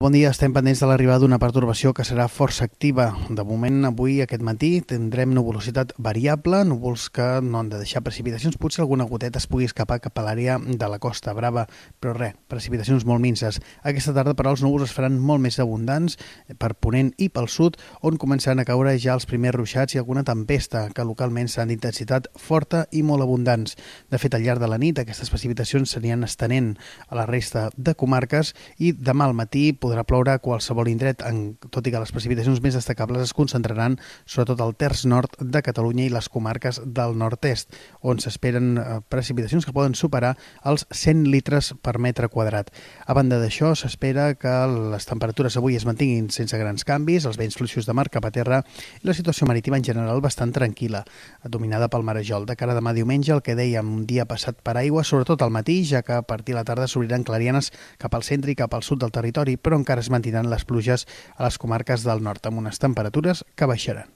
Bon dia, estem pendents de l'arribada d'una pertorbació que serà força activa. De moment, avui, aquest matí, tindrem nuvolositat variable, núvols que no han de deixar precipitacions. Potser alguna goteta es pugui escapar cap a l'àrea de la Costa Brava, però res, precipitacions molt minces. Aquesta tarda, però, els núvols es faran molt més abundants per ponent i pel sud, on començaran a caure ja els primers ruixats i alguna tempesta, que localment seran d'intensitat forta i molt abundants. De fet, al llarg de la nit, aquestes precipitacions s'aniran estenent a la resta de comarques i demà al matí podrà ploure a qualsevol indret, tot i que les precipitacions més destacables es concentraran sobretot al terç nord de Catalunya i les comarques del nord-est, on s'esperen precipitacions que poden superar els 100 litres per metre quadrat. A banda d'això, s'espera que les temperatures avui es mantinguin sense grans canvis, els vents fluixos de mar cap a terra i la situació marítima en general bastant tranquil·la, dominada pel marejol. De cara a demà diumenge, el que dèiem, un dia passat per aigua, sobretot al matí, ja que a partir de la tarda s'obriran clarianes cap al centre i cap al sud del territori, però encara es mantindran les pluges a les comarques del nord, amb unes temperatures que baixaran.